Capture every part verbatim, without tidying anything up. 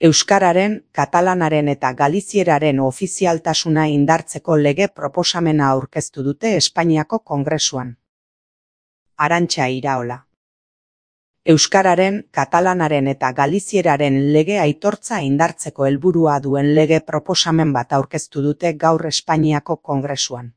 Euskararen, katalanaren eta galizieraren ofizialtasuna indartzeko lege proposamena aurkeztu dute Espainiako Kongresuan. Arantxa Iraola. Euskararen, katalanaren eta galizieraren lege aitortza indartzeko helburua duen lege proposamen bat aurkeztu dute gaur Espainiako Kongresuan.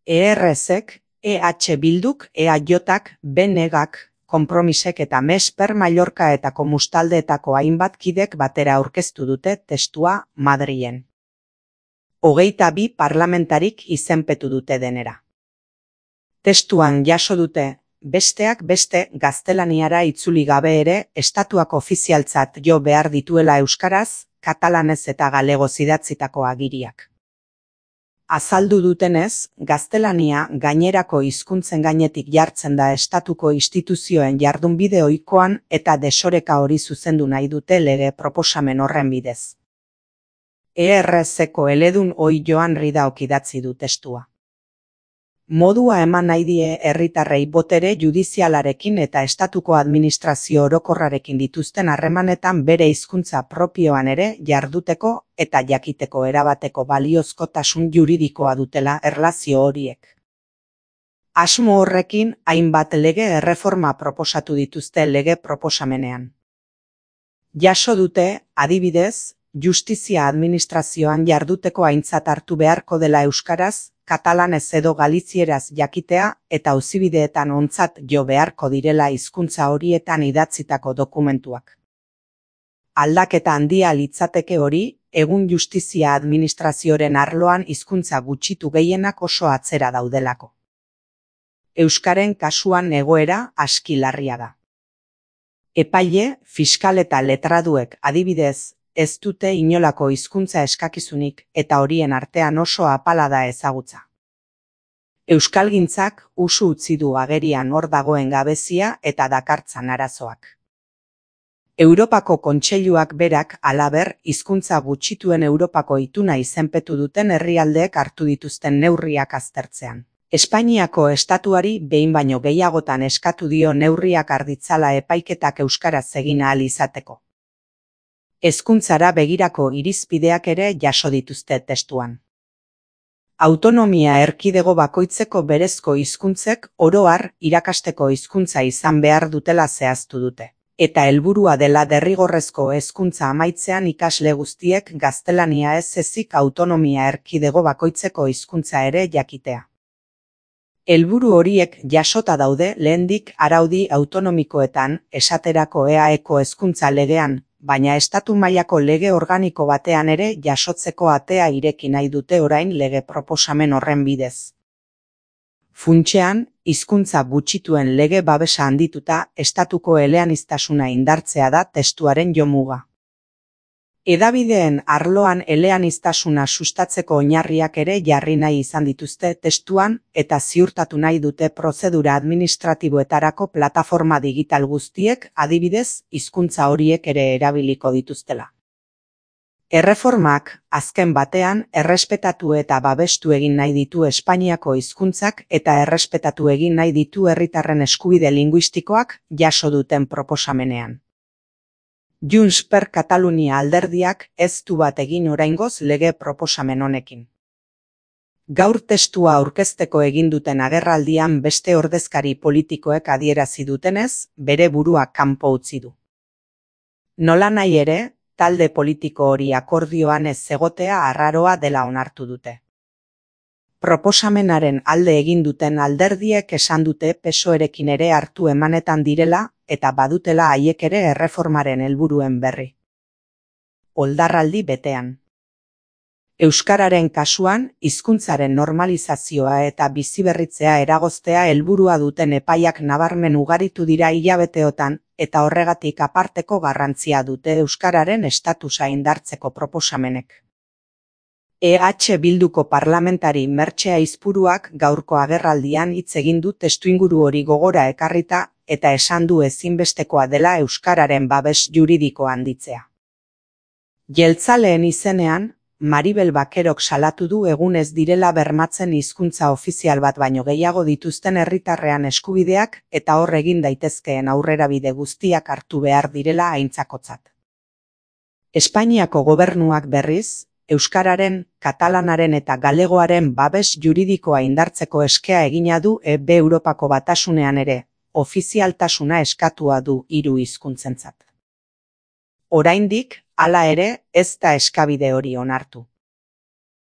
E R Z-ek, E H Bilduk, E A J-ak, B N G-ak, Konpromisek eta Mesper Mallorca eta Komustaldeetako hainbat kidek batera aurkeztu dute testua Madrilen. Hogeita bi parlamentarik izenpetu dute denera. Testuan jaso dute, besteak beste gaztelaniara itzuli gabe ere estatuak ofizialtzat jo behar dituela euskaraz, katalanez eta galegoz idatzitako agiriak. Azaldu dutenez, gaztelania gainerako hizkuntzen gainetik jartzen da estatuko instituzioen jardunbide ohikoan eta desoreka hori zuzendu nahi dute lege proposamen horren bidez. E R Z-eko eledun ohi Joan Ridaok idatzi du testua. Modua eman nahi die herritarrei botere judizialarekin eta estatuko administrazio orokorrarekin dituzten harremanetan bere hizkuntza propioan ere jarduteko eta jakiteko erabateko baliozkotasun juridikoa dutela erlazio horiek. Asmo horrekin hainbat lege erreforma proposatu dituzte lege proposamenean. Jaso dute, adibidez, justizia administrazioan jarduteko aintzat hartu beharko dela euskaraz, katalanez edo galizieraz jakitea eta auzibideetan ontzat jo beharko direla hizkuntza horietan idatzitako dokumentuak. Aldaketa handia litzateke hori, egun justizia administrazioaren arloan hizkuntza gutxitu gehienak oso atzera daudelako. Euskaren kasuan egoera aski larria da. Epaile, fiskal eta letraduek adibidez, ez dute inolako hizkuntza eskakizunik eta horien artean oso apala da ezagutza. Euskalgintzak usu utzi du agerian hor dagoen gabezia eta dakartzan arazoak. Europako Kontseiluak berak halaber hizkuntza gutxituen Europako ituna izenpetu duten herrialdeek hartu dituzten neurriak aztertzean. Espainiako estatuari behin baino gehiagotan eskatu dio neurriak har ditzala epaiketak euskaraz egin ahal izateko. Hezkuntzara begirako irizpideak ere jaso dituzte testuan. Autonomia erkidego bakoitzeko berezko hizkuntzek oro har irakasteko hizkuntza izan behar dutela zehaztu dute. Eta helburua dela derrigorrezko hezkuntza amaitzean ikasle guztiek gaztelania ez ezik autonomia erkidego bakoitzeko hizkuntza ere jakitea. Helburu horiek jasota daude lehendik araudi autonomikoetan, esaterako E A Eko hezkuntza legean, baina estatu mailako lege organiko batean ere jasotzeko atea ireki nahi dute orain lege proposamen horren bidez. Funtsean, hizkuntza gutxituen lege babesa handituta estatuko eleaniztasuna indartzea da testuaren jomuga. Hedabideen arloan eleaniztasuna sustatzeko oinarriak ere jarri nahi izan dituzte testuan eta ziurtatu nahi dute prozedura administratiboetarako plataforma digital guztiek adibidez hizkuntza horiek ere erabiliko dituztela. Erreformak, azken batean, errespetatu eta babestu egin nahi ditu Espainiako hizkuntzak eta errespetatu egin nahi ditu herritarren eskubide linguistikoak jaso duten proposamenean. Junts per Katalunia alderdiak ez du bat egin oraingoz lege proposamen honekin. Gaur testua aurkezteko egin duten agerraldian beste ordezkari politikoek adierazi dutenez, bere burua kanpo utzi du. Nolanahi ere, talde politiko hori akordioan ez egotea arraroa dela onartu dute. Proposamenaren alde egin duten alderdiek esan dute P S O E-rekin ere hartu emanetan direla eta badutela haiek ere erreformaren helburuen berri. Oldarraldi betean. Euskararen kasuan, hizkuntzaren normalizazioa eta biziberritzea eragoztea helburua duten epaiak nabarmen ugaritu dira hilabeteotan eta horregatik aparteko garrantzia dute euskararen estatusa indartzeko proposamenek. E H Bilduko parlamentari Mertxe Aizpuruak gaurko agerraldian hitz egin du testuinguru hori gogora ekarrita eta esan du ezinbestekoa dela euskararen babes juridiko handitzea. Jeltzaleen izenean, Maribel Bakerok salatu du egun ez direla bermatzen hizkuntza ofizial bat baino gehiago dituzten herritarrean eskubideak eta hor egin daitezkeen aurrerabide guztiak hartu behar direla aintzakotzat. Espainiako gobernuak berriz, euskararen, katalanaren eta galegoaren babes juridikoa indartzeko eskea egina du E B Europako Batasunean ere, ofizialtasuna eskatua du hiru hizkuntzentzat. Oraindik, hala ere, ez da eskabide hori onartu.